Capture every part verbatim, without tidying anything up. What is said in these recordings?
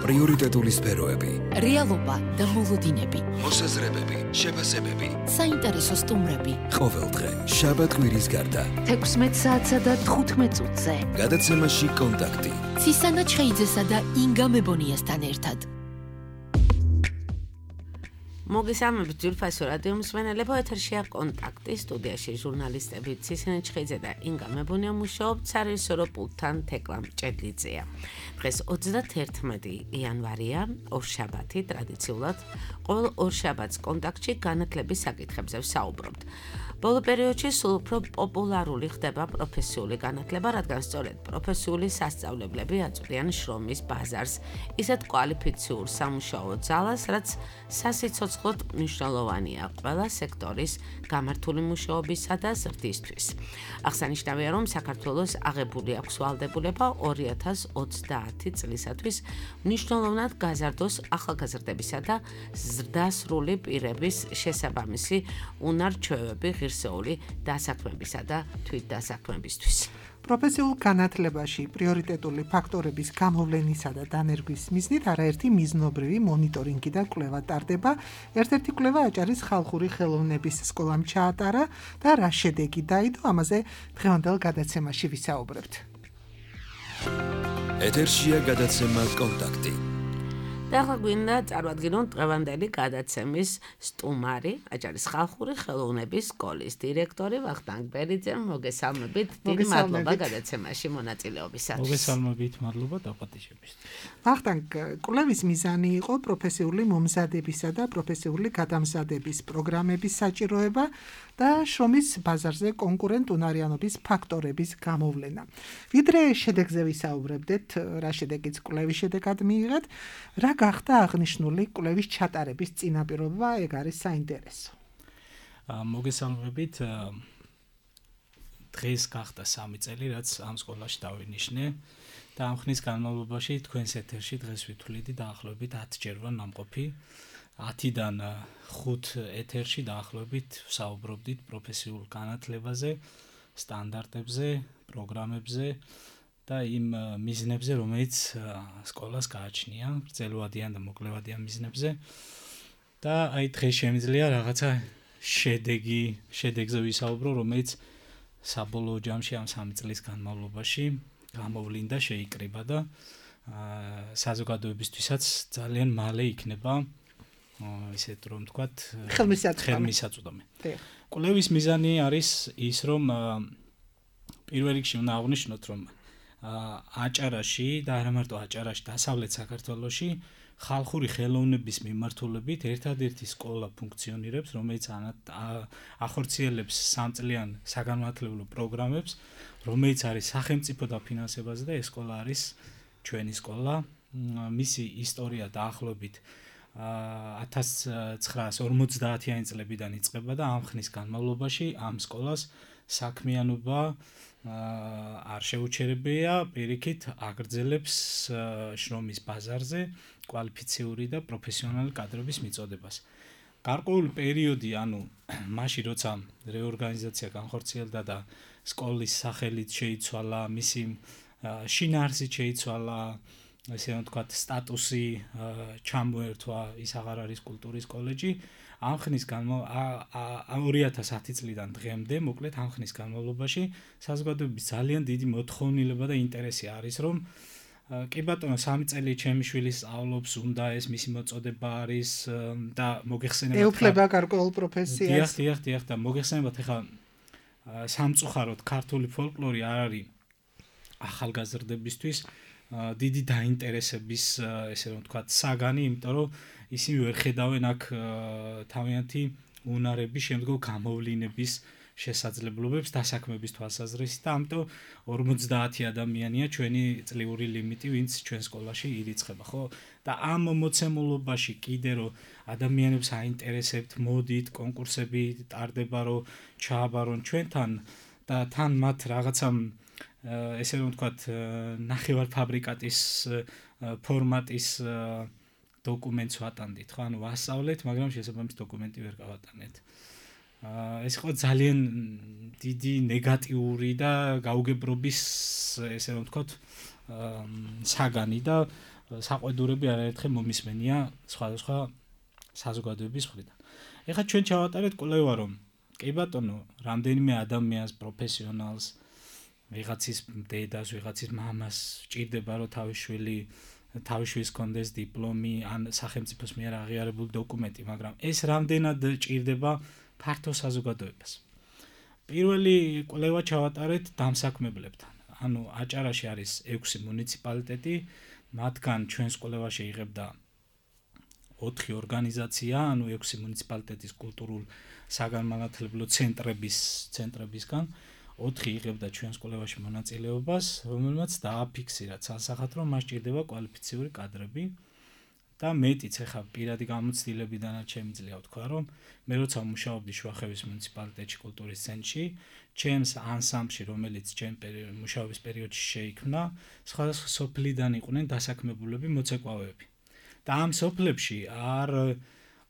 პრიორიტეტული სფეროები, რეალობა და მოლოდინები, მოსაზრებები, შეფასებები, საინტერესო სტუმრები. ყოველდღე შაბათ-კვირის გარდა თექვსმეტ საათსა და თხუთმეტ წუთზე. გადაცემაში კონტაქტი. ცისანა ჩხეიძესა და ინგა მებონიასთან ერთად. მოგესალმებით ძვირფასო რადიო მსმენელებო, ეთერშია კონტაქტი, სტუდიაში ჟურნალისტები ცისანა ჩხეიძე და ინგა მებონია მუშაობთ, სარესორო პულტთან თეკლა მჭედლიძეა. დღეს ოცდათერთმეტი იანვარია, ორშაბათი, ტრადიციულად ყოველ ორშაბათს კონტაქტში განათლების საკითხებზე ვსაუბრობთ. ბოლო პერიოდში სულ უფრო პოპულარული ხდება პროფესიული განათლება, რადგან სწორედ პროფესიული სასწავლებლები აწვდიან შრომის ბაზარს, ისეთ კვალიფიციურ სამუშაო ძალას, რაც სასიცოცხლოდ მნიშვნელოვანია ყველა სექტორის გამართული მუშაობისა და ზრდისთვის. აღსანიშნავია, რომ საქართველოს აღებული აქვს ვალდებულება ორი ათას ოცდაათი წლისათვის მნიშვნელოვნად გაზარდოს ახალგაზრდებისა და ზრდასრული პირების შესაბამისი უნარ-ჩვევები ღირსეული დასაქმებისა და თვითდასაქმებისთვის. პროფესიულ განათლებაში პრიორიტეტული ფაქტორების გამოვლენისა და დანერგვის მიზნით არაერთი მიზნობრივი მონიტორინგი და კვლევა ტარდება. ერთ-ერთი კვლევა აჭარის ხალხური ხელოვნების სკოლამ ჩაატარა და რა შედეგი დაიდო, ამაზე დღევანდელ გადაცემაში ვისაუბრებთ. ეთერშია გადაცემა კონტაქტი. და ახლა გვინდა წარვადგინოთ დღევანდელი გადაცემის სტუმარი, აჭარის ხალხური ხელოვნების სკოლის დირექტორი ვახტანგ ბერიძე. მოგესალმებით, დიდი მადლობა გადაცემაში მონაწილეობისათვის. მოგესალმებით, მადლობა დაპატიჟებისთვის. ვახტანგ, კვლევის მიზანი იყო პროფესიული მომზადებისა და პროფესიული გადამზადების პროგრამების საჭიროება და შრომის ბაზარზე კონკურენტუნარიანობის ფაქტორების გამოვლენა. ვიდრე შედეგზე ვისაუბრებდეთ, რა შედეგიც კვლევის შედეგად მიიღეთ, რა გახდა აღნიშნული კვლევის ჩატარების წინაპირობა, ეგ არის საინტერესო. მოგესალმებით, დღეს გახდა სამი წელი, რაც ამ სკოლაში დავინიშნე და ამ ხნის განმავლობაში თქვენს ეთერში დღეს ვითვლიდი დაახლოებით ათჯერ ვარ ნამყოფი. ათიდან ხუთ ეთერში დაახლოებით ვსაუბრობდით პროფესიულ განათლებაზე, სტანდარტებზე, პროგრამებზე და იმ მიზნებზე, რომელიც სკოლას გააჩნია, გრძელვადიან და მოკლევადიან მიზნებზე. და აი დღეს შემიძლია რაღაცა შედეგი, შედეგზე ვისაუბრო, რომელიც საბოლოო ჯამში ამ სამი წლის განმავლობაში გამოვლინდა, შეიკრიბა და საზოგადოებისთვისაც ძალიან მალე იქნება ისეთ რომ ვთქვათ ხელმისაწვდომი. კვლევის მიზანი არის ის, რომ პირველ რიგში უნდა აღვნიშნოთ, რომ აჭარაში და არა მარტო აჭარაში, დასავლეთ საქართველოში ხალხური ხელოვნების მიმართულებით ერთადერთი სკოლა ფუნქციონირებს, რომელიც ახორციელებს სამწლიან საგანმანათლებლო პროგრამებს, რომელიც არის სახელმწიფო დაფინანსებაზე და ეს სკოლა არის ჩვენი სკოლა. მისი ისტორია დაახლოებით ათას ცხრაას ორმოცდაათიანი წლებიდან იწყება და ამ ხნის განმავლობაში ამ სკოლას საქმიანობა არ შეუჩერებია, პირიქით აგრძელებს შრომის ბაზარზე კვალიფიციური და პროფესიონალი კადრების მიწოდებას. გარკვეული პერიოდი, ანუ მაშინ როცა რეორგანიზაცია განხორციელდა და სკოლის სახელით შეიცვალა, მისი შინაარსით შეიცვალა, ესე რომ ვთქვათ, სტატუსი ჩამოერთვა, ის აღარ არის კულტურის კოლეჯი. ამ ხნის ორი ათას ათი წლიდან დღემდე, მოკლედ ამ ხნის განმავლობაში საზოგადოების ძალიან დიდი მოთხოვნილება და ინტერესი არის, რომ კი ბატონო, სამი წელი ჩემი შვილი სწავლობს, უნდა ეს მისი მოწოდება არის და მოგეხსენებათ. ეუფლება გარკვეულ პროფესიას. დიახ, დიახ, დიახ და მოგეხსენებათ, ეხლა სამწუხაროდ ქართული ფოლკლორი არ არის ახალგაზრდებისთვის დიდი დაინტერესების, ესე რომ ვთქვათ, საგანი, იმიტომ რომ ისინი ვერ ხედავენ აქ თავიანთი უნარების შემდგომ გამოვლინების შესაძლებლობებს დასაქმების თვალსაზრისით და ამიტომ ორმოცდაათი ადამიანია ჩვენი წლიური ლიმიტი, ვინც ჩვენ სკოლაში ირიცხება, ხო? და ამ მოცემულობაში კიდე რომ ადამიანებს აინტერესებთ, მოდით, კონკურსები ტარდება, რომ ჩააბარონ ჩვენთან და თან მათ რაღაცა ესე რომ ვთქვათ, ნახევარფაბრიკატის ფორმატის დოკუმენტს ვატანდით, ხო? ანუ ვასწავლეთ, მაგრამ შესაბამის დოკუმენტი ვერ გავატანეთ. ეს იყო ძალიან დიდი ნეგატიური და გაუგებრობის, ესე რომ ვთქვათ, საგანი და საყვედურები არაერთხელ მომისმენია სხვადასხვა საზოგადოების მხრიდან. ეხლა ჩვენ ჩავატარეთ კვლევა, რომ კი ბატონო, რამდენიმე ადამიანს, პროფესიონალს, ვიღაცის დედას, ვიღაცის მამას ჭირდება, რომ თავის შვილი თავის შვილს კონდეს დიპლომი ან სახელმწიფოს მიერ აღიარებული დოკუმენტი, მაგრამ ეს რამდენად ჭირდება ფართო საზოგადოებას. პირველი კვლევა ჩავატარეთ დამსაქმებლებთან. ანუ აჭარაში არის ექვსი მუნიციპალიტეტი, მათგან ჩვენს კვლევაში იღებდა ოთხი ორგანიზაცია, ანუ ექვსი მუნიციპალიტეტის კულტურულ საგანმანათლებლო ცენტრების ცენტრებისგან ოთხი იღებდა ჩვენს კვლევაში მონაწილეობას, რომელმაც დააფიქსირა ცალსახად, რომ მას ჭირდება კვალიფიციური კადრები და მეტიც ახლა პირადი გამოცდილებიდანაც შემიძლია ვთქვა, რომ მე როცა მუშაობდი შუახევის მუნიციპალიტეტში კულტურის ცენტრში, ჩემს ანსამბლში, რომელიც ჩემ მუშაობის პერიოდში შეიქმნა, სხვადასხვა სოფლიდან იყვნენ დასაქმებულები მოცეკვავეები. და ამ სოფლებში არ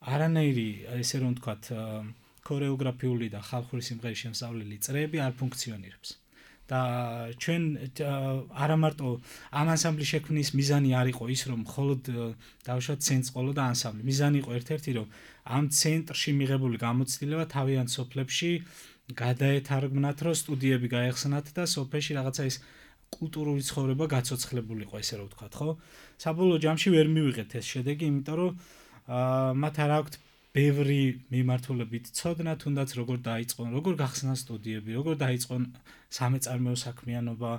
არანაირი, ესე რომ ვთქვათ, ქორეოგრაფიული და ხალხური სიმღერის შემსწავლელი წრეები არ ფუნქციონირებს. და ჩვენ არა მარტო ამ ანსამბლის შექმნის მიზანი არ იყო ის, რომ მხოლოდ დავუშვათ ცენტრს ყოლო და ანსამბლი. მიზანი იყო ერთ-ერთი, რომ ამ ცენტრში მიღებული გამოცდილება თავიანთ სოფლებში გადაეთარგმნათ, რომ სტუდიები გაეხსნათ და სოფელში რაღაცა ის კულტურული ცხოვრება გაცოცხლებულიყო, ესე რომ ვთქვათ, ხო? საბოლოო ჯამში ვერ მივიღეთ ეს შედეგი, იმიტომ რომ მათ არ აქვთ ბევრი მიმართულებით ცოდნა, თუნდაც როგორ დაიწყონ, როგორ გახსნან სტუდიები, როგორ დაიწყონ სამეწარმეო საქმიანობა,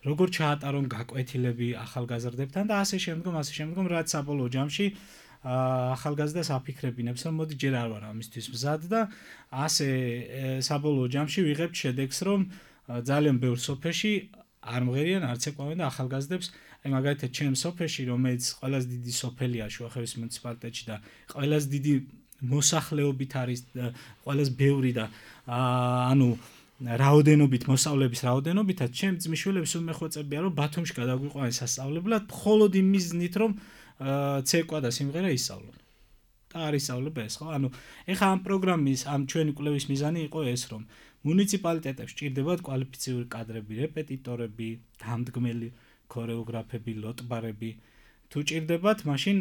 როგორ ჩაატარონ გაკვეთილები ახალგაზრდებთან და ასე შემდგომ, ასე შემდგომ, რაც საბოლოო ჯამში ახალგაზრდას აფიქრებინებს, რომ მოდი ჯერ არ ვარ ამისთვის მზად და ასე საბოლოო ჯამში ვიღებთ შედეგს, რომ ძალიან ბევრ სოფელში არ მღერიან, არც ეკავენ და ახალგაზრდებს, აი მაგალითად ჩემს სოფელში, რომელიც ყველაზე დიდი სოფელია შუახევის მუნიციპალიტეტში და ყველაზე დიდი მოსახლეობით არის, ყველაზე ბევრი და ანუ რაოდენობით, მოსავლების რაოდენობითაც ჩემ ძმისშვილებს უმეხვეწებია, რომ ბათუმში გადაგვიყვანეს სასწავლებლად, მხოლოდ იმ მიზნით, რომ ცეკვა და სიმღერა ისწავლონ. და არ ისწავლება ეს, ხო? ანუ ეხლა ამ პროგრამის, ამ ჩვენი კვლევის მიზანი იყო ეს, რომ მუნიციპალიტეტებში ჭირდებათ კვალიფიციური კადრები, რეპეტიტორები, დამდგმელი ქორეოგრაფები, ლოტბარები. თუ ჭირდებათ, მაშინ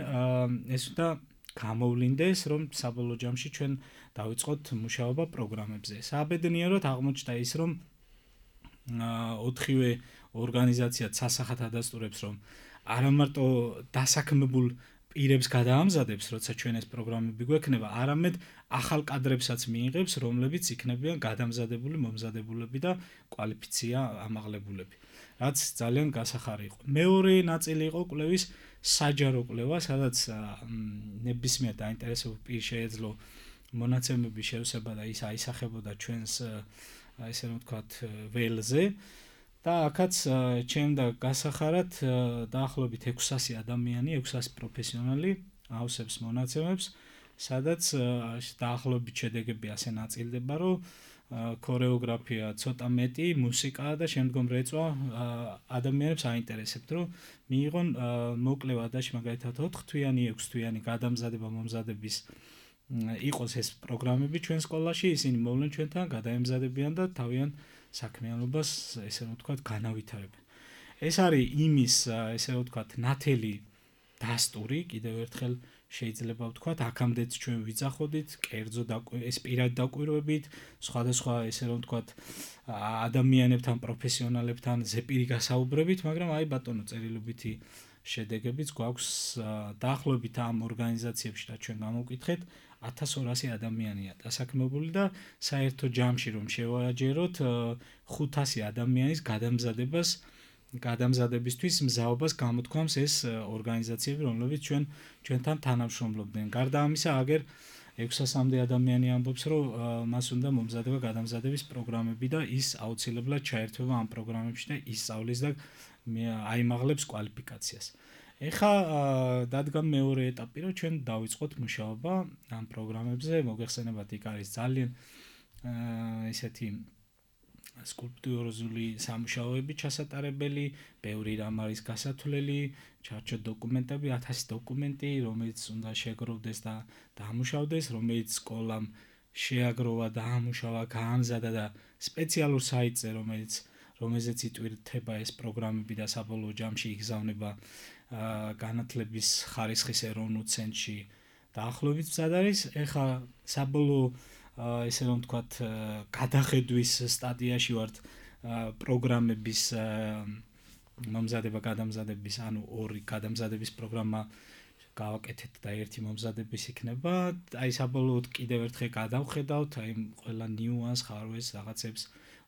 ეს უნდა გამოვლინდეს, რომ საბოლოო ჯამში ჩვენ დავიწყოთ მუშაობა პროგრამებზე. სააბედნიეროდ აღმოჩნდა ის, რომ ოთხივე ორგანიზაცია სასახად ადასტურებს, რომ არა მარტო დასაქმებულ პირებს გადაამზადებს, როცა ჩვენ ეს პროგრამები გვექნება, არამედ ახალ კადრებსაც მიიღებს, რომლებიც იქნებიან გადამზადებული, მომზადებულები და კვალიფიცია ამაღლებულები. რაც ძალიან გასახარი იყო. მეორე ნაწილი იყო კვლევის საჯარო კვლევა, სადაც ნებისმიერ დაინტერესებულ პირს შეეძლო მონაცემების შევსება და ის აისახებოდა ჩვენს, ესე რომ ვთქვათ, ველზე. და აქაც ჩემდა გასახარად დაახლოებით ექვსასი ადამიანი, ექვსასი პროფესიონალი ავსებს მონაცემებს, სადაც დაახლოებით შედეგები ასე ნაწილდება, რომ ქორეოგრაფია ცოტა მეტი, მუსიკა და შემდგომ რეწვა ადამიანებს აინტერესებთ, რომ მიიღონ მოკლე ვადაში მაგალითად ოთხ თვიანი, ექვს თვიანი გადამზადება მომზადების იყოს ეს პროგრამები ჩვენ სკოლაში, ისინი მოვლენ ჩვენთან, გადაემზადებიან და თავიანთ საქმიანობას, ესე რომ ვთქვათ, განავითარებენ. ეს არის იმის, ესე რომ ვთქვათ, ნათელი დასტური, კიდევ ერთხელ შეიძლება ვთქვათ, აქამდეც ჩვენ ვიძახოდით, კერძო ეს პირად დაკვირვებით, სხვადასხვა, ესე რომ ვთქვათ, ადამიანებთან, პროფესიონალებთან ზეპირი გასაუბრებით, მაგრამ აი ბატონო, წერილობითი შედეგებიც გვაქვს დაახლოებით ამ ორგანიზაციებში და ჩვენ გამოვკითხეთ ათას ორასი ადამიანია დასაქმებული და საერთო ჯამში რომ შევაჯეროთ ხუთასი ადამიანის გადამზადებას გადამზადებისთვის მზაობას გამოთქვამს ეს ორგანიზაციები, რომლებიც ჩვენ ჩვენთან თანამშრომლობდნენ. გარდა ამისა, აგერ ექვსასამდე ადამიანი ამბობს, რომ მას უნდა მომზადება გადამზადების პროგრამები და ის აუცილებლად ჩაერთვება ამ პროგრამებში და ისწავლის და აიმაღლებს კვალიფიკაციას. ეხლა დადგა მეორე ეტაპი, რომ ჩვენ დავიწყოთ მუშაობა ამ პროგრამებზე. მოგეხსენებათ, იქ არის ძალიან ესეთი სკულპტურული სამუშაოები ჩასატარებელი, ბევრი რამ არის გასათვლელი, ჩარჩო დოკუმენტები, ათასი დოკუმენტი, რომელიც უნდა შეგროვდეს და დაამუშავდეს, რომელიც სკოლამ შეაგროვა, დაამუშავა, გაამზადა და სპეციალურ საიტზე, რომელიც რომელზეც იტვირთება ეს პროგრამები და საბოლოო ჯამში იგზავნება განათლების ხარისხის ეროვნულ ცენტრში დაახლოებით მზად არის. ეხლა საბოლოო ესე რომ ვთქვათ გადახედვის სტადიაში ვართ პროგრამების მომზადება გადამზადების, ანუ ორი გადამზადების პროგრამა გავაკეთეთ და ერთი მომზადების იქნება. აი საბოლოოდ კიდევ ერთხელ გადავხედავთ აი ყველა ნიუანს, ხარვეს, რაღაცებს,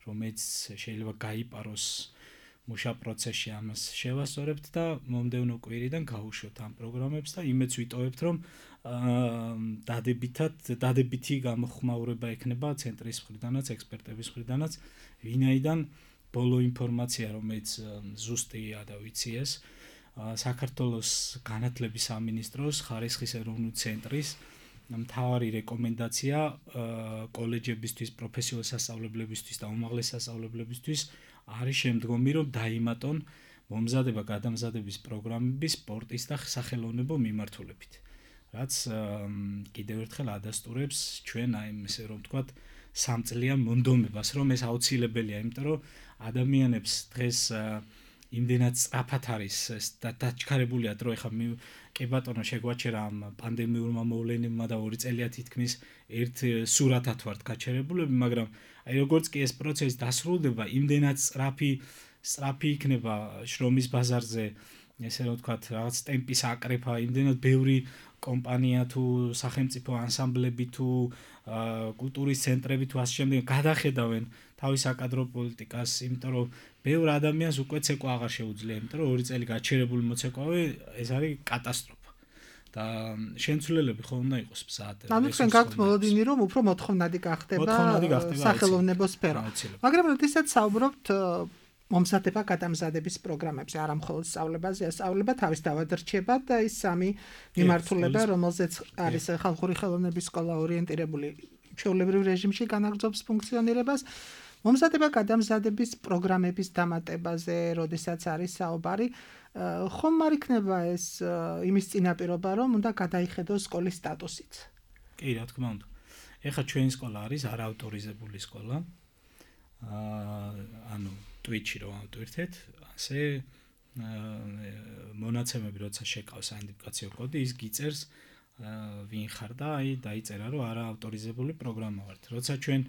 რომელიც შეიძლება გაიპაროს მუშა პროცესში ამას შევასწორებთ და მომდევნო კვირიდან გავუშვებთ ამ პროგრამებს და იმეც ვიტოვებთ, რომ დადებითად დადებითი გამოხმაურება ექნება ცენტრის მხრიდანაც, ექსპერტების მხრიდანაც, ვინაიდან ბოლო ინფორმაცია, რომელიც ზუსტია და ვიცი ეს, საქართველოს განათლების სამინისტროს ხარისხის ეროვნული ცენტრის მთავარი რეკომენდაცია კოლეჯებისთვის, პროფესიულ სასწავლებლებისთვის და უმაღლეს სასწავლებლებისთვის არის შემდგომი, რომ დაიმატონ მომზადება გადამზადების პროგრამების სპორტის და სახელოვნებო მიმართულებით. რაც კიდევ ერთხელ ადასტურებს ჩვენ აი ესე რომ ვთქვათ სამწლიან მონდომებას, რომ ეს აუცილებელია, იმიტომ რომ ადამიანებს დღეს იმდენად სწრაფად არის და დაჩქარებულია დრო, ეხლა კი ბატონო შეგვაჩერა ამ პანდემიურმა მოვლენებმა და ორი წელია თითქმის ერთ სურათად ვართ გაჩერებულები, მაგრამ აი როგორც კი ეს პროცესი დასრულდება, იმდენად სწრაფი სწრაფი იქნება შრომის ბაზარზე, ესე რომ ვთქვათ, რაღაც ტემპის აკრეფა, იმდენად ბევრი კომპანია თუ სახელმწიფო ანსამბლები თუ კულტურის ცენტრები თუ ასე შემდეგ გადახედავენ თავის საკადრო პოლიტიკას, იმიტომ რომ ბევრ ადამიანს უკვე ცეკვა აღარ შეუძლია, იმიტომ რომ ორი წელი გაჩერებული მოცეკვავე ეს არის კატასტროფა. და შემცვლელები ხო უნდა იყოს მზად. ანუ თქვენ გაქვთ მოლოდინი, რომ უფრო მოთხოვნადი გახდება სახელოვნებო სფერო. მაგრამ როდესაც საუბრობთ მომზადება გადამზადების პროგრამებზე, არა მხოლოდ სწავლებაზე, სწავლება თავის დავადრჩება და ის სამი მიმართულება, რომელზეც არის ხალხური ხელოვნების სკოლა ორიენტირებული ჩვეულებრივ რეჟიმში განაგრძობს ფუნქციონირებას. მომზადება გადამზადების პროგრამების დამატებაზე, როდესაც არის საუბარი, ხომ არ იქნება ეს იმის წინაპირობა, რომ უნდა გადაიხედოს სკოლის სტატუსიც? კი, რა თქმა უნდა. ეხლა ჩვენი სკოლა არის არაავტორიზებული სკოლა. ანუ Twitch-ი რო ავტვირთეთ, ასე მონაცემები როცა შეკავს აიდენტიფიკაციო კოდი, ის გიწერს ვინ ხარ და აი დაიწერა, რომ არაავტორიზებული პროგრამა ვართ. როცა ჩვენ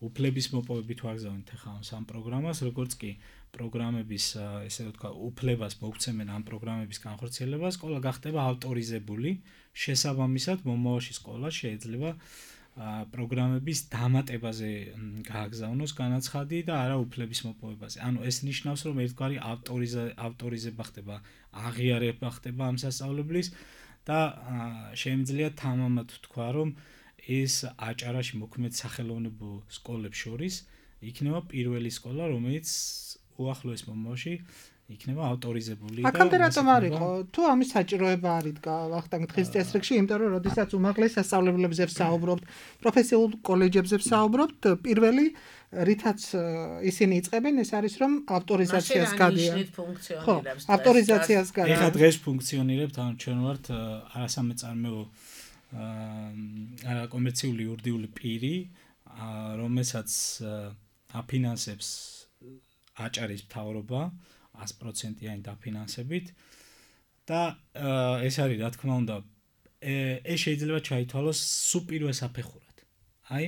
უფლების მოპოვებით ვაგზავნით ახლა ამ პროგრამას, როგორც კი პროგრამების, ესე ვთქვა, უფლებას მოგცემენ ამ პროგრამების განხორციელებას, სკოლა გახდება ავტორიზებული, შესაბამისად მომავალში სკოლა შეიძლება პროგრამების დამატებაზე გააგზავნოს განაცხადი და არა უფლების მოპოვებაზე. ანუ ეს ნიშნავს, რომ ერთგვარი ავტორიზება ხდება, აღიარება ხდება ამ სასწავლებლის და შემიძლია თამამად ვთქვა, რომ ეს აჭარაში მოქმედ სახელოვნებო სკოლებს შორის იქნება პირველი სკოლა, რომელიც უახლოეს მომავალში იქნება ავტორიზებული და აქამდე რატომ არ იყო? თუ ამის საჭიროება არ იდგა ვახტანგ დღის წესრიგში, იმიტომ რომ როდესაც უმაღლეს სასწავლებლებზე ვსაუბრობთ, პროფესიულ კოლეჯებზე ვსაუბრობთ, პირველი რითაც ისინი იწყებენ, ეს არის რომ ავტორიზაციას გადიან. ხო, ავტორიზაციას გადიან. ეხლა დღეს ფუნქციონირებთ, ანუ ჩვენ ვართ არასამეწარმეო არა კომერციული იურიდიული პირი, რომელსაც აფინანსებს აჭარის მთავრობა ას პროცენტიანი დაფინანსებით და ეს არის რა თქმა უნდა ეს შეიძლება ჩაითვალოს სუპირვე საფეხურად. აი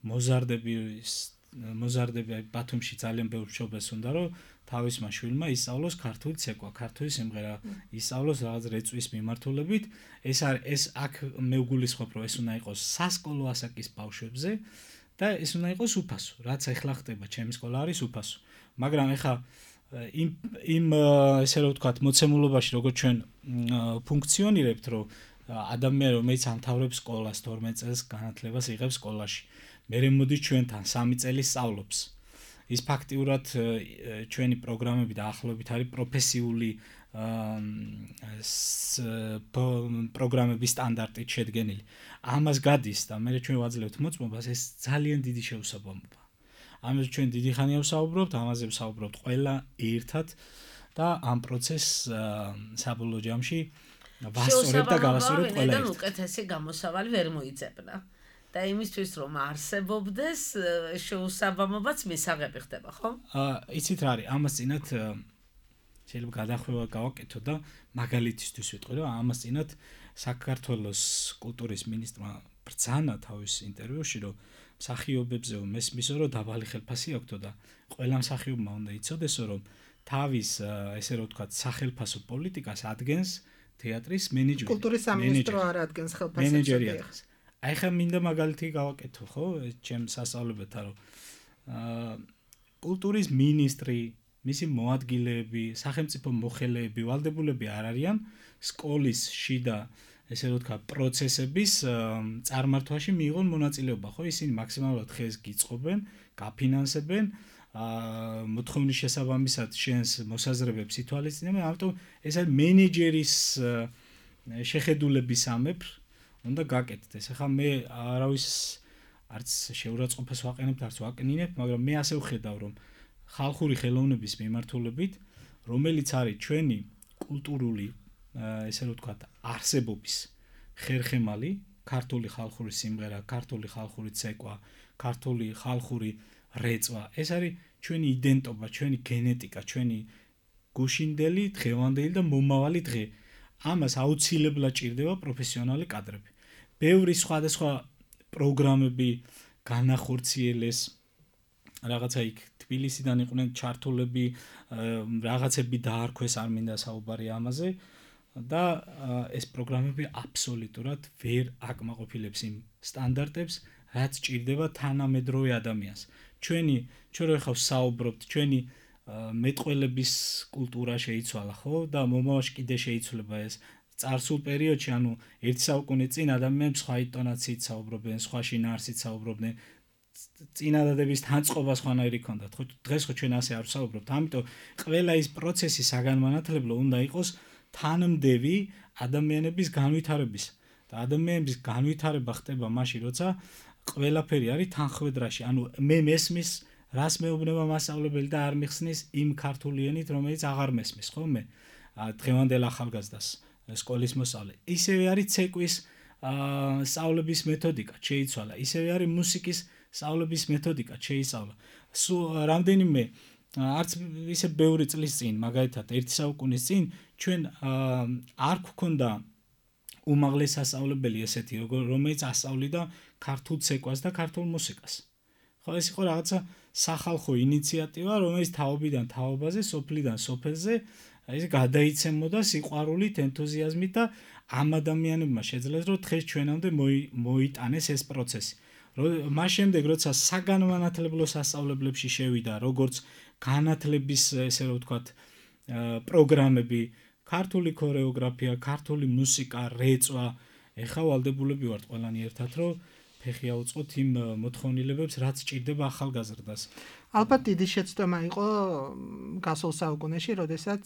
მოზარდების მოზარდები ბათუმში ძალიან ბევრ მშობელს უნდა რომ თავისმა შვილმა ისწავლოს ქართული ცეკვა, ქართული სიმღერა, ისწავლოს რაღაც რეწვის მიმართულებით. ეს არის ეს აქ მე ვგულისხმობ რომ ეს უნდა იყოს სასკოლო ასაკის ბავშვებზე და ეს უნდა იყოს უფასო. რაც ახლა ხდება, ჩემი სკოლა არის უფასო. მაგრამ ახლა იმ იმ ესე რომ ვთქვათ, მოცემულობაში როგორც ჩვენ ფუნქციონირებთ, რომ ადამიანი რომელიც ამთავრებს სკოლას თორმეტ წელს განათლებას იღებს სკოლაში, მერე მოდის ჩვენთან სამი წელი სწავლობს. ის ფაქტიურად ჩვენი პროგრამები დაახლოებით არის პროფესიული პროგრამების სტანდარტით შედგენილი. ამას გადის და მე ჩვენ ვაძლევთ მოწმობას, ეს ძალიან დიდი შეუსაბამოა. ამაზე ჩვენ დიდი ხანია ვსაუბრობთ, ამაზე ვსაუბრობთ ყველა ერთად და ამ პროცესს საბოლოო ჯამში ვასწორებ და გავასწორებ ყველა ერთად. უკეთესი გამოსავალი ვერ მოიძებნა. და იმისთვის რომ არსებობდეს შეუსაბამობაც მისაღები ხდება, ხო? აა, იცით რა არის, ამას წინათ შეიძლება გადახვევა გავაკეთო და მაგალითისთვის ვიტყვი, რომ ამას წინათ საქართველოს კულტურის მინისტრმა ბრძანა თავის ინტერვიუში, რომ მსახიობებზე მესმისო, რომ დაბალი ხელფასი აქვთო და ყველა მსახიობმა უნდა იცოდესო, რომ თავის ესე რომ ვთქვათ, სახელფასო პოლიტიკას ადგენს თეატრის მენეჯმენტი. კულტურის სამინისტრო არ ადგენს ხელფასებს. მენეჯერი ადგენს. აი ხა მინდა მაგალითი გავაკეთო, ხო, ჩემ სასწავლებელთან, რომ აა კულტურის მინისტრი, მისი მოადგილეები, სახელმწიფო მოხელეები, ვალდებულები არ არიან სკოლის შიდა ესე რომ ვთქვა პროცესების წარმართვაში მიიღონ მონაწილეობა, ხო? ისინი მაქსიმალურად ხეს გიწყობენ, გაფინანსებენ, აა მოთხოვნის შესაბამისად შენს მოსაზრებებს ითვალისწინებენ, ამიტომ ეს არის მენეჯერის შეხედულების ამებრ უნდა გაკეთდეს. ახლა მე არავის არც შეურაცხყოფას ვაყენებ, არც ვაკნინებ, მაგრამ მე ასე ვხედავ, რომ ხალხური ხელოვნების მიმართულებით, რომელიც არის ჩვენი კულტურული ესე რომ ვთქვათ, არსებობის ხერხემალი, ქართული ხალხური სიმღერა, ქართული ხალხური ცეკვა, ქართული ხალხური რეწვა, ეს არის ჩვენი იდენტობა, ჩვენი გენეტიკა, ჩვენი გუშინდელი, დღევანდელი და მომავალი დღე. ამას აუცილებლად ჭირდება პროფესიონალი კადრები. ბევრი სხვადასხვა პროგრამები განახორციელეს, რაღაცა იქ თბილისიდან იყვნენ ჩართულები, რაღაცები დაარქვეს, არ მინდა საუბარი ამაზე. და ეს პროგრამები აბსოლუტურად ვერ აკმაყოფილებს იმ სტანდარტებს, რაც ჭირდება თანამედროვე ადამიანს. ჩვენი, ჩვენ რო ხავ საუბრობთ, ჩვენი მეტყველების კულტურა შეიცვალა, ხო? და მომავალში კიდე შეიცვლება ეს. წარსულ პერიოდში, ანუ ერთი საუკუნე წინ ადამიანები სხვა ინტონაციით საუბრობდნენ, სხვა შინაარსით საუბრობდნენ. წინადადების თანწყობა სხვანაირი ჰქონდათ, ხო? დღეს ხო ჩვენ ასე არ ვსაუბრობთ. ამიტომ ყველა ის პროცესი საგანმანათლებლო უნდა იყოს თანმდევი ადამიანების განვითარების და ადამიანების განვითარება ხდება მაშინ, როცა ყველაფერი არის თანხმედრაში. ანუ მე მესმის, რას მეუბნება მასწავლებელი და არ მიხსნის იმ ქართული ენით, რომელიც აღარ მესმის, ხო მე? დღევანდელ ახალგაზრდას სკოლის მოსწავლე. ისევე არის ცეკვის სწავლების მეთოდიკა, შეიცვალა. ისევე არის მუსიკის სწავლების მეთოდიკა, შეიცვალა. სულ რამდენიმე არც ისე ბევრი წლის წინ, მაგალითად, ერთი საუკუნის წინ ჩვენ არ გვქონდა უმაღლეს სასწავლებელი ესეთი, რომელიც ასწავლიდა ქართულ ცეკვას და ქართულ მუსიკას. ხო, ეს იყო რაღაცა სახალხო ინიციატივა, რომელიც თაობიდან თაობაზე, სოფლიდან სოფელზე ეს გადაიცემოდა სიყვარულით, ენთუზიაზმით და ამ ადამიანებმა შეძლეს, რომ დღეს ჩვენამდე მოიტანეს ეს პროცესი. მას შემდეგ, როცა საგანმანათლებლო სასწავლებლებში შევიდა, როგორც განათლების, ესე რომ ვთქვათ, პროგრამები, ქართული ქორეოგრაფია, ქართული მუსიკა, რეწვა, ეხლა ვალდებულები ვართ ყველანი ერთად, რომ ფეხი აუწყოთ იმ მოთხოვნილებებს, რაც ჭირდება ახალგაზრდას. ალბათ დიდი შეცდომა იყო გასულ საუკუნეში, როდესაც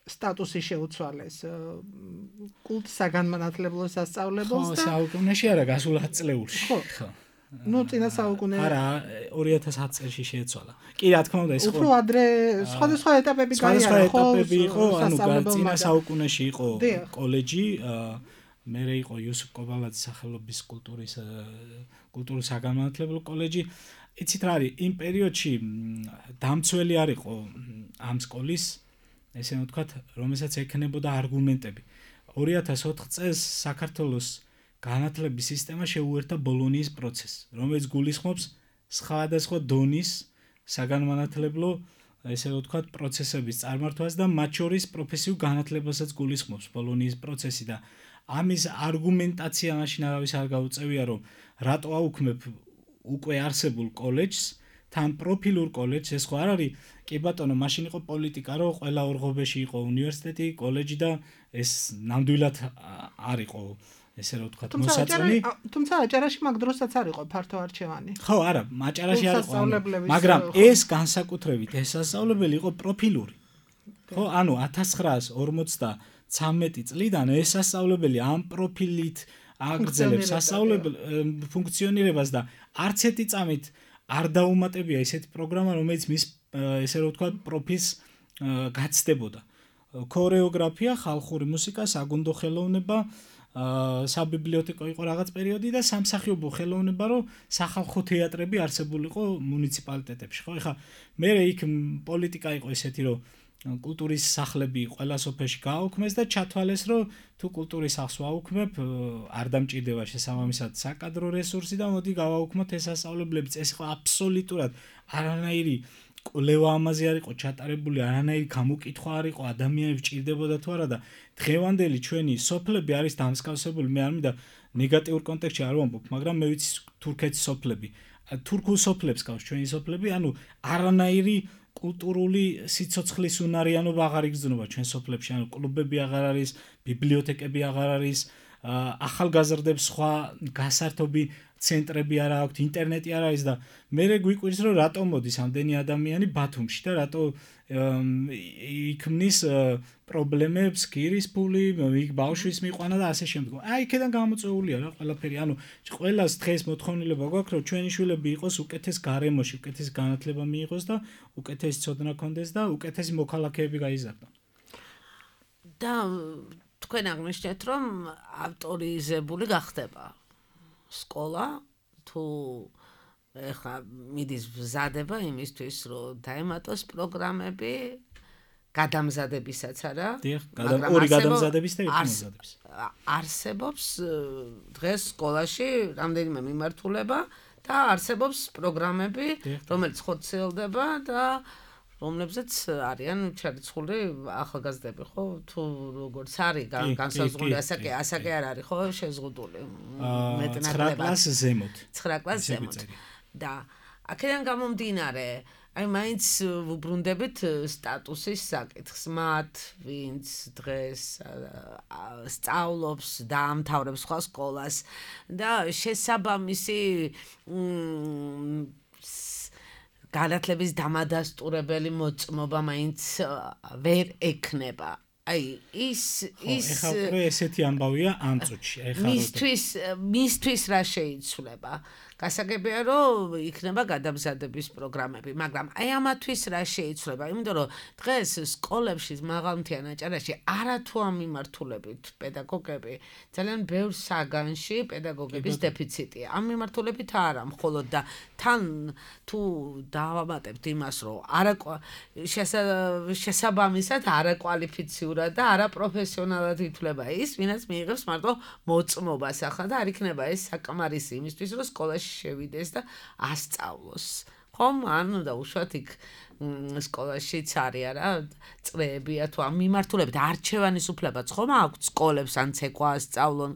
სტატუსი შეუცვალეს კულტ საგანმანათლებლო სასწავლებელს და ხო, საუკუნეში არა, გასულ ათ წლეულში. ხო. ნუ წინა საუკუნე არა, ორი ათას ათი წელში შეეცვალა. კი, რა თქმა უნდა, ეს ხო. უფრო ადრე სხვადასხვა ეტაპები გაიარა, ხო? სხვადასხვა ეტაპები იყო, ანუ წინა საუკუნეში იყო კოლეჯი, მერე იყო იოსებ კობალაძის სახელობის კულტურის კულტურის საგანმანათლებლო კოლეჯი. იცით რა არის, იმ პერიოდში დამცველი არ იყო ამ სკოლის, ესე ვთქვათ, რომელსაც ექნებოდა არგუმენტები. ორი ათას ოთხ წელს საქართველოს განათლების სისტემა შეუერთა ბოლონიის პროცესს, რომელიც გულისხმობს სხვადასხვა დონის საგანმანათლებლო, ესე ვთქვათ, პროცესების წარმართვას და მათ შორის პროფესიულ განათლებასაც გულისხმობს ბოლონიის პროცესი და ამის არგუმენტაცია მაშინ არავის არ გაუწევია, რომ რატო აუქმებ უკვე არსებულ კოლეჯს, თან პროფილურ კოლეჯს, ეს ხო არ არის, კი ბატონო, მაშინ იყო პოლიტიკა, რომ ყველა ორღობეში იყო უნივერსიტეტი, კოლეჯი და ეს ნამდვილად არ იყო ესე რომ ვთქვათ, მოსაწონი. თუმცა აჭარაში მაგ დროსაც არ იყო ფართო არჩევანი. ხო, არა, აჭარაში არ იყო, მაგრამ ეს განსაკუთრებით ეს სასწავლებელი იყო პროფილური. ხო, ანუ ათას ცხრაას ორმოცდათვრამეტი წლიდან ეს სასწავლებელი ამ პროფილით აგრძელებს სასწავლებელ ფუნქციონირებას და არც ერთი წამით არ დაუმატებია ესეთი პროგრამა, რომელიც მის ესე რომ ვთქვათ, პროფილს გაცდებოდა. ქორეოგრაფია, ხალხური მუსიკა, საგუნდო ხელოვნება, საბიბლიოთეკო იყო რაღაც პერიოდი და სამსახიობო ხელოვნება, რომ სახალხო თეატრები არსებულიყო მუნიციპალიტეტებში, ხო? ეხლა მე იქ პოლიტიკა იყო ესეთი, რომ კულტურის სახლები ყველა სოფელში გააუქმეს და ჩათვალეს, რომ თუ კულტურის სახლს ვაუქმებ, არ დამჭირდება შესაბამისად საკადრო რესურსი და მოდი გავაუქმოთ ეს სასწავლებლებიც. ეს იყო აბსოლუტურად არანაირი კვლევა ამაზე არ იყო ჩატარებული, არანაირი გამოკითხვა არ იყო, ადამიანებს ჭირდებოდა თუ არა და დღევანდელი ჩვენი სოფლები არის დამსგავსებული. მე არ მინდა ნეგატიურ კონტექსტში არ ვამბობ, მაგრამ მე ვიცი თურქეთის სოფლები. თურქულ სოფლებს გავს ჩვენი სოფლები, ანუ არანაირი კულტურული სიცოცხლის უნარიანობა აღარ იგრძნობა ჩვენ სოფლებში, ანუ კლუბები აღარ არის, ბიბლიოთეკები აღარ არის, ახალგაზრდებს სხვა გასართობი ცენტრები არ აქვს, ინტერნეტი არ არის და მე გვიკვირს რომ რატო მოდის ამდენი ადამიანი ბათუმში და რატო იქმნის პრობლემებს, გირის ფული, იქ ბავშვის მიყვანა და ასე შემდეგ. აი იქიდან გამოწვეულია რა ყველაფერი. ანუ ყველას დღეს მოთხოვნილება გვაქვს რომ ჩვენი შვილები იყოს უკეთეს გარემოში, უკეთეს განათლება მიიღოს და უკეთესი ცოდნა ქონდეს და უკეთესი მოქალაქეები გაიზარდონ. და თქვენ აღნიშნეთ რომ ავტორიზებული გახდება სკოლა თუ ეხლა მიდის მზადება იმისთვის რომ დაემატოს პროგრამები გადამზადებისაც არა მაგრამ ორი გადამზადების და ერთი მზადების არსებობს დღეს სკოლაში რამდენიმე მიმართულება და არსებობს პროგრამები რომელიც ხორციელდება და რომლებზეც არიან ჩარიცხული ახალგაზრდები ხო თუ როგორც არის განსაზღვრული ასაკი ასაკი არ არის ხო შეზღუდული მეტნაკლებად ცხრა კლასს ზემოთ ცხრა კლასს ზემოთ და აქედან გამომდინარე აი მაინც ვუბრუნდებით სტატუსის საკითხს მათ ვინც დღეს სწავლობს და ამთავრებს სხვა სკოლას და შესაბამისი განათლების დამადასტურებელი მოწმობა მაინც ვერ ექნება. აი ის ის ეხლა უკვე ესეთი ამბავია ამ წუთში. ეხლა მისთვის მისთვის რა შეიცვლება? გასაგებია რომ იქნება გადამზადების პროგრამები, მაგრამ აი ამათვის რა შეიცვლება? იმიტომ რომ დღეს სკოლებში მაღალმთიან აჭარაში არათუ ამ მიმართულებით პედაგოგები ძალიან ბევრ საგანში პედაგოგების დეფიციტია. ამ მიმართულებით არა, მხოლოდ და თან თუ დავამატებთ იმას, რომ არა შესაბამისად არაკვალიფიციურად და არაპროფესიონალად ითვლება ის, ვინაც მიიღებს მარტო მოწმობას ახლა და არ იქნება ეს საკმარისი იმისთვის, რომ სკოლაში შევიდეს და ასწავლოს. ხომ? ანუ და უშუალოდ იქ სკოლაშიც არის არა წრეებია თუ ამ მიმართულებით არჩევანის უფლებაც ხომ აქვს სკოლებს ან ცეკვა ასწავლონ.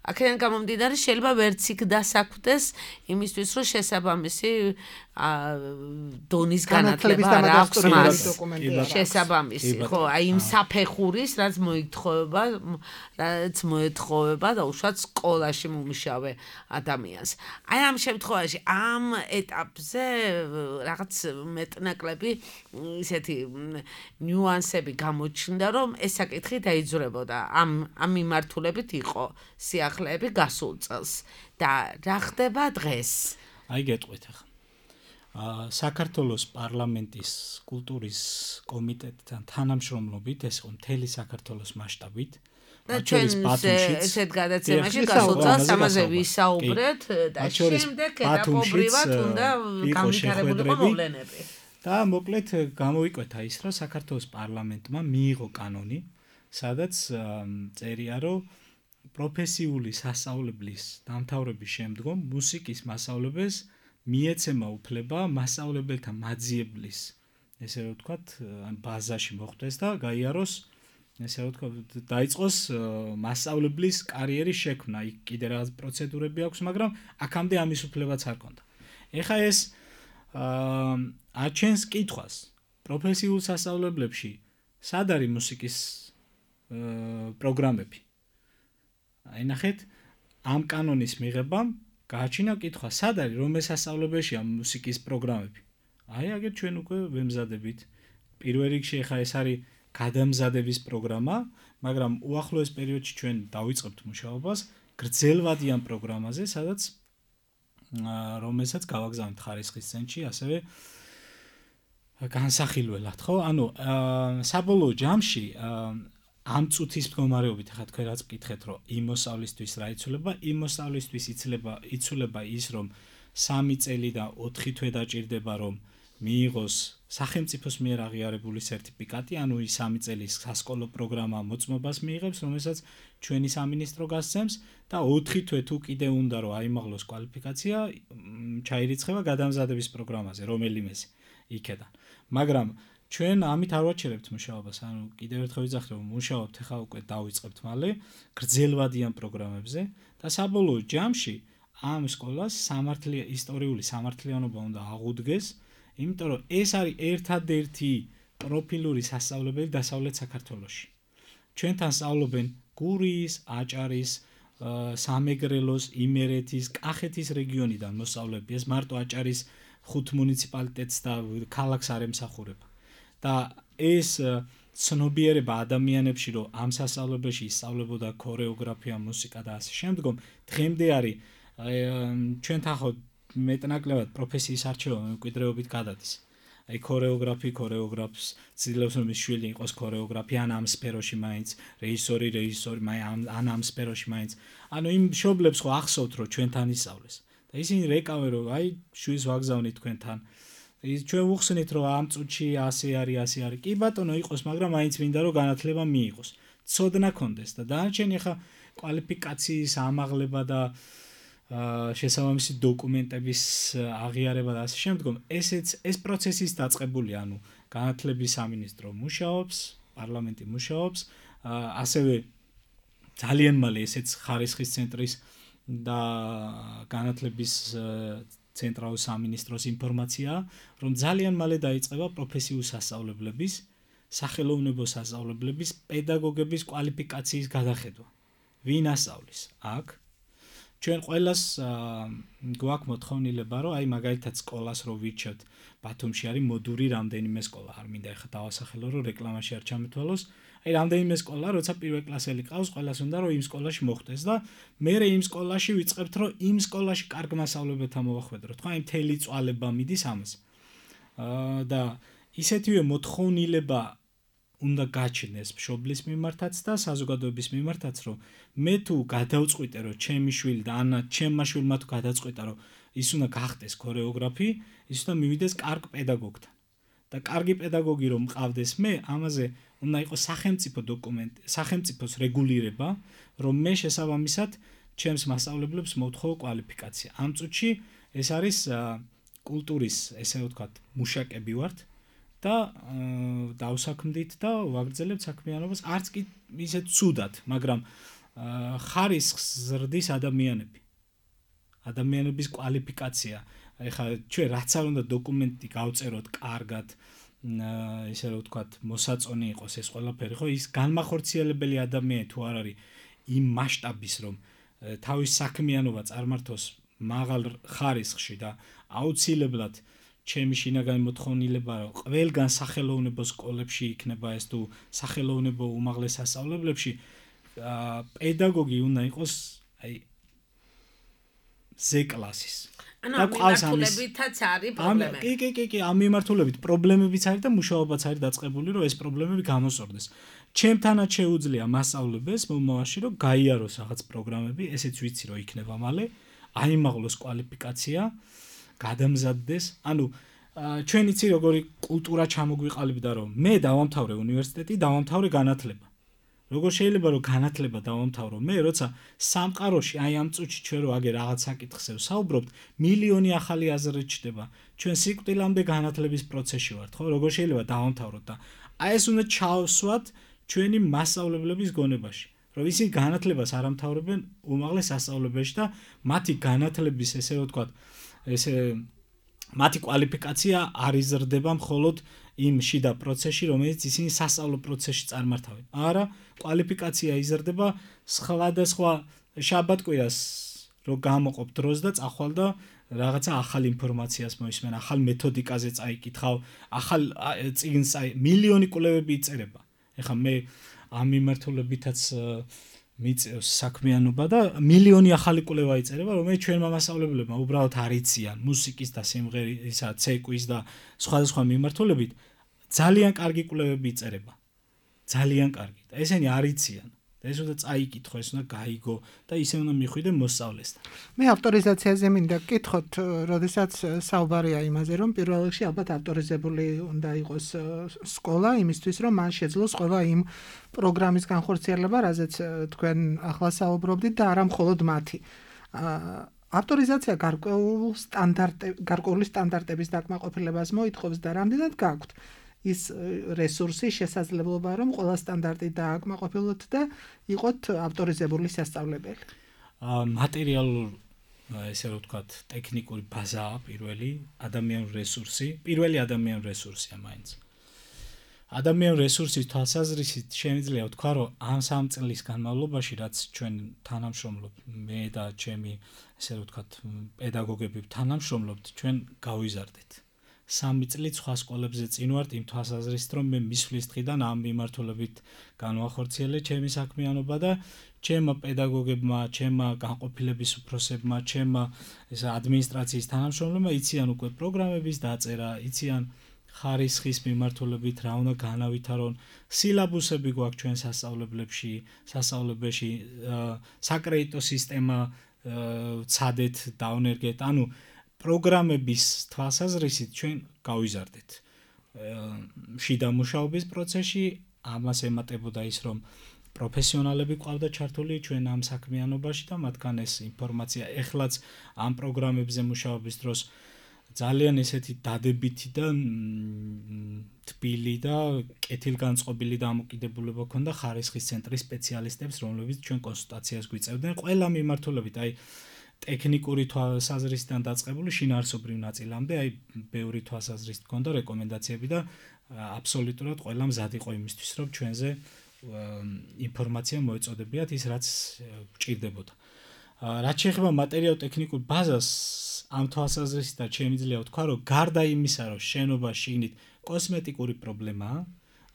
აქედან გამომდინარე შეიძლება ვერც იქ დასაქმდეს იმისთვის რომ შესაბამისი დონის განათლება არ აქვს მას შესაბამისი ხო აი იმ საფეხურის რაც მოითხოვება რაც მოეთხოვება და უშუალოდ სკოლაში მომუშავე ადამიანს აი ამ შემთხვევაში ამ ეტაპზე რაღაც მეტნაკლები ისეთი ნიუანსები გამოჩნდა რომ ეს საკითხი დაიძვრებოდა ამ ამ მიმართულებით იყო სიახლეები გასულ წელს და რა ხდება დღეს აი გეტყვით ახლა საქართველოს პარლამენტის კულტურის კომიტეტთან თანამშრომლობით ეს იყო მთელი საქართველოს მასშტაბით ჩვენს ბათუმშიც ესეთ გადაცემაში გასულ წელს ამაზე ვისაუბრეთ და შემდეგ ეტაპობრივად უნდა განვითარებულიყო მოვლენები და მოკლედ გამოვიკვეთა ის რომ საქართველოს პარლამენტმა მიიღო კანონი სადაც წერია რომ პროფესიული სასწავლებლის დამთავრების შემდგომ მუსიკის მასწავლებელს მიეცემა უფლება მასწავლებელთა მაძიებლის ესე რომ ვთქვათ ბაზაში მოხვდეს და გაიაროს ესე რომ ვთქვათ დაიწყოს მასწავლებლის კარიერის შექმნა იქ კიდე რაღაც პროცედურები აქვს მაგრამ აქამდე ამის უფლებაც არ ქონდა ეხა ეს აჩენს კითხვას პროფესიულ სასწავლებლებში სად არის მუსიკის პროგრამები აი ნახეთ ამ კანონის მიღებამ გააჩინა კითხვა სად არის რომ ეს სასწავლებელშია მუსიკის პროგრამები აი აგერ ჩვენ უკვე ვემზადებით პირველ რიგში ახლა ეს არის გადამზადების პროგრამა მაგრამ უახლოეს პერიოდში ჩვენ დავიწყებთ მუშაობას გრძელვადიან პროგრამაზე სადაც რომელსაც გავაგზავნით ხარისხის ცენტრში ასევე განსახილველად ხო ანუ საბოლოო ჯამში ამ წუთის მდგომარეობით ახლა თქვენ რაც მკითხეთ რომ იმ მოსავლისთვის რა იცვლება იმ მოსავლისთვის იცლება იცვლება ის რომ სამი წელი და ოთხი თვე დაჭირდება რომ მიიღოს სახელმწიფოს მიერ აღიარებული სერტიფიკატი, ანუ ის სამი წელის სასკოლო პროგრამა მოწმობას მიიღებს, რომელსაც ჩვენი სამინისტრო გასცემს და ოთხი თვე თუ კიდე უნდა რომ აიმაღლოს კვალიფიკაცია, ჩაირიცხება გადამზადების პროგრამაზე, რომელიმეს იქედან. მაგრამ ჩვენ ამით არ ვაჩერებთ მუშაობას, ანუ კიდევ ერთხელ ვიძახი რომ მუშაობთ ახლა უკვე დავიწყებთ მალე გრძელვადიან პროგრამებზე და საბოლოო ჯამში ამ სკოლას სამართლია ისტორიული სამართლიანობა უნდა აღუდგეს, იმიტომ რომ ეს არის ერთადერთი პროფილური სასწავლებელი დასავლეთ საქართველოში. ჩვენთან სწავლობენ გურიის, აჭარის, სამეგრელოს, იმერეთის, კახეთის რეგიონიდან მოსწავლეები. ეს მარტო აჭარის ხუთ მუნიციპალიტეტს და ქალაქს არ ემსახურება. და ეს ცნობიერება ადამიანებში, რომ ამ სასწავლებელში ისწავლებოდა ქორეოგრაფია, მუსიკა და ასე შემდგომ, დღემდე არის ჩვენთან ხო მეტნაკლებად პროფესიის არჩევა მემკვიდრეობით გადადის. აი ქორეოგრაფი, ქორეოგრაფს ცდილობს რომ ის შვილი იყოს ქორეოგრაფი, ან ამ სფეროში მაინც, რეჟისორი, რეჟისორი, ან ამ სფეროში მაინც. ანუ იმ მშობლებს ხო ახსოვთ რომ ჩვენთან ისწავლეს. და ისინი რეკავენ რომ აი შვილს ვაგზავნით თქვენთან. ის ჩვენ ვუხსნით რომ ამ წუთში ასე არის, ასე არის. კი ბატონო იყოს, მაგრამ მაინც მინდა რომ განათლება მიიღოს. ცოდნა კონდეს და დანარჩენი ხა კვალიფიკაციის ამაღლება და შესაბამისი დოკუმენტების აღიარება და ასე შემდგომ, ესეც ეს პროცესის დაწყებული, ანუ განათლების სამინისტრო მუშაობს, პარლამენტი მუშაობს, ასევე ძალიან მალე ესეც ხარისხის ცენტრის და განათლების ცენტრალური სამინისტროს ინფორმაცია, რომ ძალიან მალე დაიწყება პროფესიული სასწავლებლების, სახელოვნებო სასწავლებლების, პედაგოგების კვალიფიკაციის გადახედვა. ვინ ასწავლის? აქ ჩვენ ყველას გვაქვს მოთხოვნილება, რომ აი მაგალითად სკოლას რო ვირჩევთ, ბათუმში არის მოდური რამდენიმე სკოლა, არ მინდა ეხლა დავასახელო, რომ რეკლამაში არ ჩამეთვალოს. აი რამდენიმე სკოლა, როცა პირველ კლასელი ყავს, ყველას უნდა რომ იმ სკოლაში მოხვდეს და მე იმ სკოლაში ვიწყებთ, რომ იმ სკოლაში კარგ მასწავლებელთან მოვახვედროთ. ხო, აი მთელი წვალება მიდის ამას. და ისეთივე მოთხოვნილება უნდა გაჩნდეს მშობლის მიმართაც და საზოგადოების მიმართაც, რომ მე თუ გადავწყვიტე, რომ ჩემი შვილი და ანა ჩემმა შვილმა თუ გადაწყვიტა, რომ ის უნდა გახდეს ქორეოგრაფი, ის უნდა მივიდეს კარგ პედაგოგთან. და კარგი პედაგოგი რომ მყავდეს მე, ამაზე უნდა იყოს სახელმწიფო დოკუმენტი, სახელმწიფოს რეგულირება, რომ მე შესაბამისად ჩემს მასწავლებლებს მოვთხოვო კვალიფიკაცია. ამ წუთში ეს არის კულტურის, ესე ვთქვათ, მუშაკები ვართ. და დავსაქმდით და ვაგრძელებთ საქმიანობას, არც კი ისე ცუდად, მაგრამ ხარისხს ზრდის ადამიანები. ადამიანების კვალიფიკაცია. ეხლა ჩვენ რაც არ უნდა დოკუმენტი გავწეროთ კარგად, ესე რომ ვთქვათ, მოსაწონი იყოს ეს ყველაფერი, ხო, ის განმახორციელებელი ადამიანი თუ არ არის იმ მასშტაბის, რომ თავის საქმიანობა წარმართოს მაღალ ხარისხში და აუცილებლად ჩემი შინაგანი მოთხოვნილება, რომ ყველგან სახელოვნებო სკოლებში იქნება ეს თუ სახელოვნებო უმაღლეს სასწავლებლებში, პედაგოგი უნდა იყოს აი ზ კლასის. ანუ ამ მიმართულებითაც არის პრობლემები. კი, კი, კი, კი, ამ მიმართულებით პრობლემებიც არის და მუშაობაც არის დაწყებული, რომ ეს პრობლემები გამოსწორდეს. ჩემთანაც შეუძლია მასწავლებელს მომავალში, რომ გაიაროს რაღაც პროგრამები, ესეც ვიცი, რომ იქნება მალე, აიმაღლოს კვალიფიკაცია, გადამზადდეს. ანუ ჩვენ იცი როგორი კულტურა ჩამოგვიყალიბდა, რომ მე დავამთავრე უნივერსიტეტი, დავამთავრე განათლება. როგორ შეიძლება რომ განათლება დავამთავრო მე, როცა სამყაროში აი ამ წუთში ჩვენ რო აგერ რაღაც საკითხზე ვსაუბრობთ, მილიონი ახალი აზრი ჩდება. ჩვენ სიკვდილამდე განათლების პროცესში ვართ, ხო? როგორ შეიძლება დავამთავროთ და აი ეს უნდა ჩავსვათ ჩვენი მასწავლებლების გონებაში. რომ ისინი განათლებას არ ამთავრებენ უმაღლეს სასწავლებელში და მათი განათლების ესე რომ ვთქვათ, ესე მათი კვალიფიკაცია არ იზრდება მხოლოდ იმ შიდა პროცესში, რომელიც ისინი სასწავლო პროცესში წარმართავენ. არა, კვალიფიკაცია იზრდება სხვადასხვა შაბათ-კვირას რო გამოყოფ დროს და წახვალ და რაღაცა ახალ ინფორმაციას მოისმენ, ახალ მეთოდიკაზე წაიკითხავ, ახალ წიგნს წაი მილიონი კვლევები იწერება. ეხლა მე ამ მიმართულებითაც მიწევს საქმიანობა და მილიონი ახალი კვლევა იწერება, რომელიც ჩვენმა მასწავლებლებმა უბრალოდ არ იციან მუსიკის და სიმღერისა, ცეკვის და სხვადასხვა მიმართულებით ძალიან კარგი კვლევები იწერება. ძალიან კარგი. და ესენი არ იციან. და ეს უნდა წაიკითხო, ეს უნდა გაიგო და ისე უნდა მიხვიდე მოსწავლესთან. მე ავტორიზაციაზე მინდა გკითხოთ, როდესაც საუბარია იმაზე, რომ პირველ რიგში ალბათ ავტორიზებული უნდა იყოს სკოლა იმისთვის, რომ მან შეძლოს ყველა იმ პროგრამის განხორციელება, რაზეც თქვენ ახლა საუბრობდით და არა მხოლოდ მათი. ავტორიზაცია გარკვეულ სტანდარტ გარკვეული სტანდარტების დაკმაყოფილებას მოითხოვს და რამდენად გაქვთ ის რესურსი, შესაძლებლობა, რომ ყველა სტანდარტი დააკმაყოფილოთ და იყოთ ავტორიზებული სასწავლებელი. მატერიალურ, ესე რომ ვთქვათ, ტექნიკური ბაზაა პირველი, ადამიანური რესურსი, პირველი ადამიანური რესურსია მაინც. ადამიანური რესურსის თვალსაზრისით შემიძლია ვთქვა, რომ ამ სამ წლის განმავლობაში, რაც ჩვენ თანამშრომლობ, მე და ჩემი, ესე რომ ვთქვათ, პედაგოგები თანამშრომლობთ, ჩვენ გავიზარდეთ. სამი წელი სხვა სკოლებზე წინ ვართ იმ თვალსაზრისით, რომ მე მისვლის დღიდან ამ მიმართულებით განვახორციელე ჩემი საქმიანობა და ჩემმა პედაგოგებმა, ჩემმა განყოფილების უფროსებმა, ჩემმა ეს ადმინისტრაციის თანამშრომლებმა იციან უკვე პროგრამების დაწერა, იციან ხარისხის მიმართულებით რა უნდა განავითარონ, სილაბუსები გვაქვს ჩვენ სასწავლებლებში, სასწავლებელში, საკრედიტო სისტემა ცადეთ, დავნერგეთ, ანუ პროგრამების თვალსაზრისით ჩვენ გავიზარდეთ. შიდა მუშაობის პროცესში ამას ემატებოდა ის, რომ პროფესიონალები ყავდა ჩართული ჩვენ ამ საქმიანობაში და მათგან ეს ინფორმაცია ეხლაც ამ პროგრამებზე მუშაობის დროს ძალიან ესეთი დადებითი და თბილი და კეთილგანწყობილი დამოკიდებულება ჰქონდა ხარისხის ცენტრის სპეციალისტებს, რომლებიც ჩვენ კონსულტაციას გვიწევდნენ ყველა მიმართულებით, აი ტექნიკური თვალსაზრისიდან დაწყებული შინაარსობრივ ნაწილამდე, აი ბევრი თვალსაზრისით ჰქონდა რეკომენდაციები და აბსოლუტურად ყველა მზად იყო იმისთვის, რომ ჩვენზე ინფორმაცია მოეწოდებიათ ის, რაც გვჭირდებოდა. რაც შეეხება მატერიალურ-ტექნიკურ ბაზას, ამ თვალსაზრისით შემიძლია ვთქვა, რომ გარდა იმისა, რომ შენობა შიგნით კოსმეტიკური პრობლემაა,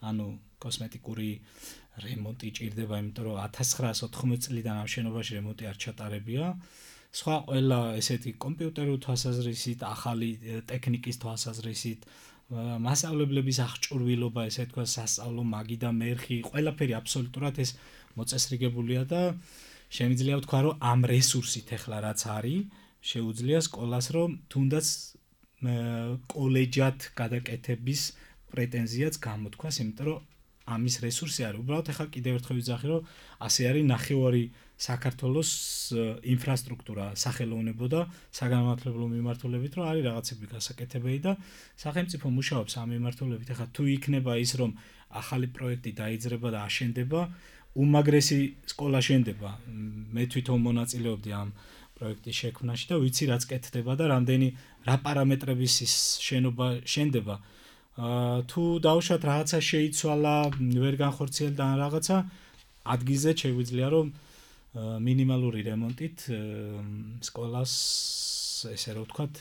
ანუ კოსმეტიკური რემონტი ჭირდება, იმიტომ რომ ათას ცხრაას ოთხმოცი წლიდან ამ შენობაში რემონტი არ ჩატარებია. სხვა ყველა ესეთი კომპიუტერული თვალსაზრისით, ახალი ტექნიკის თვალსაზრისით, მასწავლებლების აღჭურვილობა, ესე თქვა, სასწავლო მაგი და მერხი, ყველაფერი აბსოლუტურად ეს მოწესრიგებულია და შემიძლია ვთქვა, რომ ამ რესურსით ახლა რაც არის, შეუძლია სკოლას, რომ თუნდაც კოლეჯად გადაკეთების პრეტენზიაც გამოთქვას, იმიტომ რომ ამის რესურსი არის. უბრალოდ ახლა კიდევ ერთხელ ვიძახი, რომ ასე არის ნახევარი საქართველოს ინფრასტრუქტურა სახელოვნებო და საგანმანათლებლო მიმართულებით, რომ არის რაღაცები გასაკეთებელი და სახელმწიფო მუშაობს ამ მიმართულებით. ახლა თუ იქნება ის, რომ ახალი პროექტი დაიძრება და აშენდება, უმაგრესი სკოლა შენდება. მე თვითონ მონაწილეობდი ამ პროექტის შექმნაში და ვიცი რაც კეთდება და რამდენი რა პარამეტრების ის შენობა შენდება. თუ დავუშვათ რაღაცა შეიცვალა, ვერ განხორციელდა ან რაღაცა, ადგილზე შეგვიძლია რომ მინიმალური რემონტით სკოლას ესე რომ ვთქვათ,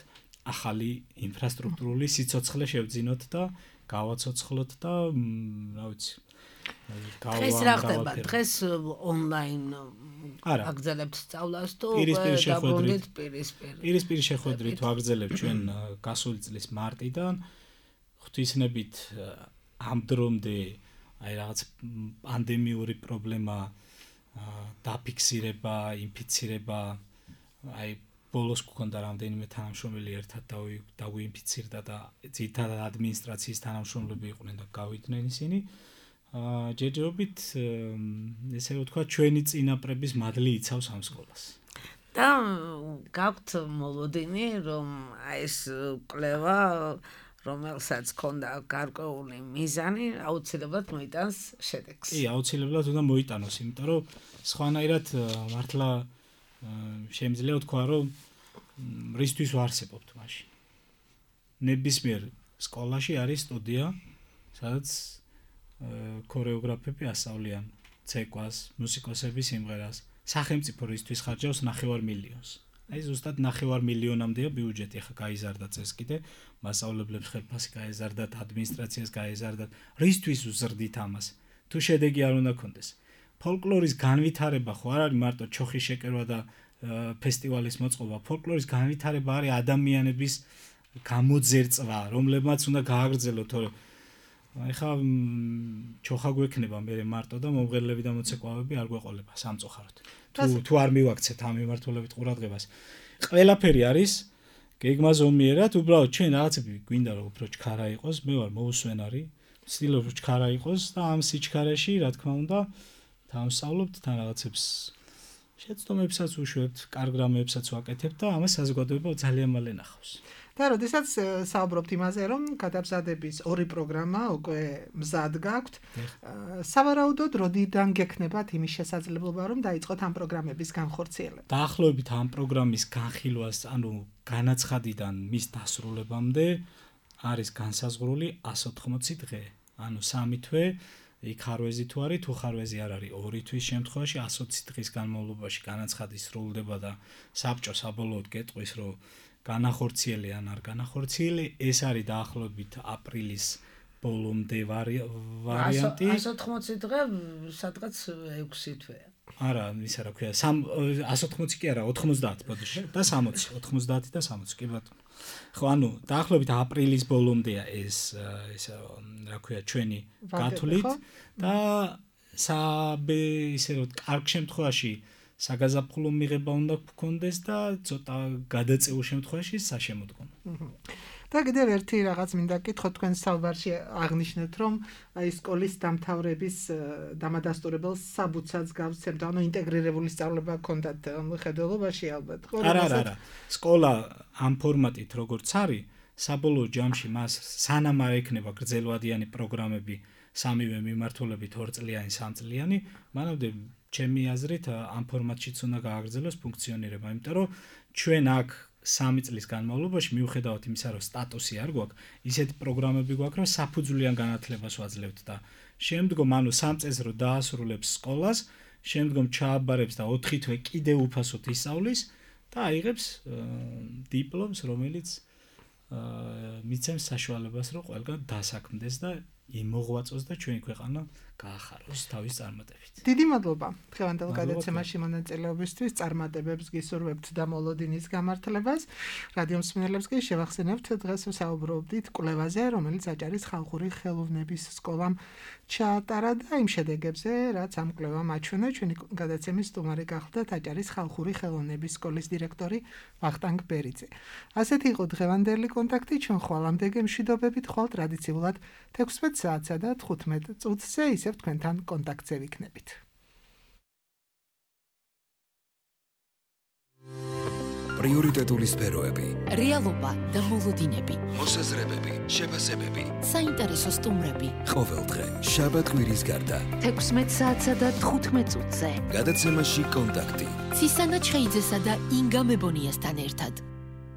ახალი ინფრასტრუქტურული სიცოცხლე შევძინოთ და გავაცოცხლოთ და რა ვიცი. დღეს რა ხდება? დღეს ონლაინ აგრძელებთ სწავლას თუ დაბრუნდით პირისპირ? პირისპირ შეხვედრით ვაგრძელებთ ჩვენ გასული წლის მარტიდან. ღვთისმებით ამ დრომდე აი რაღაც პანდემიური პრობლემა დაფიქსირება, ინფიცირება, აი ბოლოს გქონდა რამდენიმე თანამშრომელი ერთად დაგვინფიცირდა და ძირითადად ადმინისტრაციის თანამშრომლები იყვნენ და გავიდნენ ისინი. ჯერჯერობით ესე რომ ვთქვა, ჩვენი წინაპრების მადლი იცავს ამ სკოლას. და გაქვთ მოლოდინი, რომ აი ეს კვლევა რომელსაც ქონდა გარკვეული მიზანი, აუცილებლად მოიტანს შედეგს. კი, აუცილებლად უნდა მოიტანოს, იმიტომ რომ სხვანაირად მართლა შემიძლია ვთქვა, რომ რისთვის ვარსებობთ მაშინ. ნებისმიერ სკოლაში არის სტუდია, სადაც ქორეოგრაფები ასწავლიან ცეკვას, მუსიკოსები სიმღერას. სახელმწიფო რისთვის ხარჯავს ნახევარ მილიონს. აი ზუსტად ნახევარ მილიონამდეა ბიუჯეტი, ახლა გაიზარდა წეს კიდე, მასწავლებლებს ხელფასი გაეზარდათ, ადმინისტრაციას გაეზარდათ. რისთვის უზრდით ამას? თუ შედეგი არ უნდა გქონდეს. ფოლკლორის განვითარება ხო არ არის მარტო ჩოხის შეკერვა და ფესტივალის მოწყობა. ფოლკლორის განვითარება არის ადამიანების გამოძერწვა, რომლებმაც უნდა გააგრძელოთ, ეხლა ჩოხა გვექნება მე მარტო და მომღერლები და მოცეკვავები არ გვეყოლება სამწუხაროდ. თუ თუ არ მივაქცეთ ამ მიმართულებით ყურადღებას. ყველაფერი არის გეგმა ზომიერად, უბრალოდ ჩვენ რაღაცები გვინდა რომ უფრო ჩქარა იყოს, მე ვარ მოუსვენარი, ვცდილობ რომ ჩქარა იყოს და ამ სიჩქარეში, რა თქმა უნდა, დავსწავლობთ თან რაღაცებს შეცდომებსაც უშვებთ, კარგ რამეებსაც ვაკეთებთ და ამას საზოგადოება ძალიან მალე ნახავს. და როდესაც საუბრობთ იმაზე, რომ გადამზადების ორი პროგრამა უკვე მზად გაქვთ, სავარაუდოდ როდიდან გექნებათ იმის შესაძლებლობა, რომ დაიწყოთ ამ პროგრამების განხორციელება? დაახლოებით ამ პროგრამის განხილვას, ანუ განაცხადიდან მის დასრულებამდე არის განსაზღვრული εκατს ოთხმოცი დღე, ანუ სამი თვე, იქ ხარვეზი თუ არის, თუ ხარვეზი არ არის, ორი თვის შემთხვევაში εκατს ოცი დღის განმავლობაში განაცხადი სრულდება და საბჭო საბოლოოდ გეტყვის, რომ განახორციელი ან არ განახორციელი, ეს არის დაახლოებით აპრილის ბოლომდე ვარიანტი. εκατს ოთხმოცი დღე სადღაც ექვსი თვეა. არა, ისა რა ქვია, εκατს ოთხმოცი კი არა, ოთხმოცდაათი ბოდიში და სამოცი, ოთხმოცდაათი და სამოცი, კი ბატონო. ხო, ანუ დაახლოებით აპრილის ბოლომდეა ეს ეს რა ქვია, ჩვენი გათვლით და საბე ისე რომ კარგ შემთხვევაში საგაზაფხულო მიღება უნდა გქონდეს და ცოტა გადაწეულ შემთხვევაში საშემოდგომო. და კიდევ ერთი რაღაც მინდა გითხოთ, თქვენ საუბარში აღნიშნეთ, რომ აი სკოლის დამთავრების დამადასტურებელ საბუთსაც გავცემთ, ანუ ინტეგრირებული სწავლება გქონდათ მხედველობაში ალბათ. არა, არა, არა. სკოლა ამ ფორმატით როგორც არის, საბოლოო ჯამში მას სანამ არ ექნება გრძელვადიანი პროგრამები სამივე მიმართულებით ორწლიანი, სამწლიანი, მანამდე ჩემი აზრით ამ ფორმატშიც უნდა გააგრძელოს ფუნქციონირება, იმიტომ რომ ჩვენ აქ სამი წლის განმავლობაში მიუხედავად იმისა, რომ სტატუსი არ გვაქვს, ისეთი პროგრამები გვაქვს, რომ საფუძვლიან განათლებას ვაძლევთ და შემდგომ, ანუ სამ წელს რო დაასრულებს სკოლას, შემდგომ ჩააბარებს და ოთხი თვე კიდევ უფასოდ ისწავლის და აიღებს დიპლომს, რომელიც მიცემს საშუალებას, რომ ყველგან დასაქმდეს და იმოღვაწოს და ჩვენი ქვეყანა გაახაროს თავის წარმატებით. დიდი მადლობა დღევანდელ გადაცემაში მონაწილეობისთვის, წარმატებებს გისურვებთ და მოლოდინის გამართლებას. რადიო მსმენელებს კი შევახსენებთ, დღეს ვსაუბრობდით კვლევაზე, რომელიც აჭარის ხალხური ხელოვნების სკოლამ ჩაატარა და იმ შედეგებზე, რაც ამ კვლევამ აჩვენა. ჩვენი გადაცემის სტუმარი გახლდათ აჭარის ხალხური ხელოვნების სკოლის დირექტორი ვახტანგ ბერიძე. ასეთი იყო დღევანდელი კონტაქტი, ჩვენ ხვალამდე გემშვიდობებით, ხვალ ტრადიციულად თექვსმეტ საათსა და თხუთმეტ წუთზე ისევ თქვენთან კონტაქტზე ვიქნებით. პრიორიტეტული სფეროები, რეალობა და მოლოდინები, მოსაზრებები, შეფასებები, საინტერესო სტუმრები. ყოველდღე შაბათ კვირის გარდა თექვსმეტ საათსა და თხუთმეტ წუთზე გადაცემაში კონტაქტი. ცისანა ჩხეიძესა და ინგა მებონიასთან ერთად.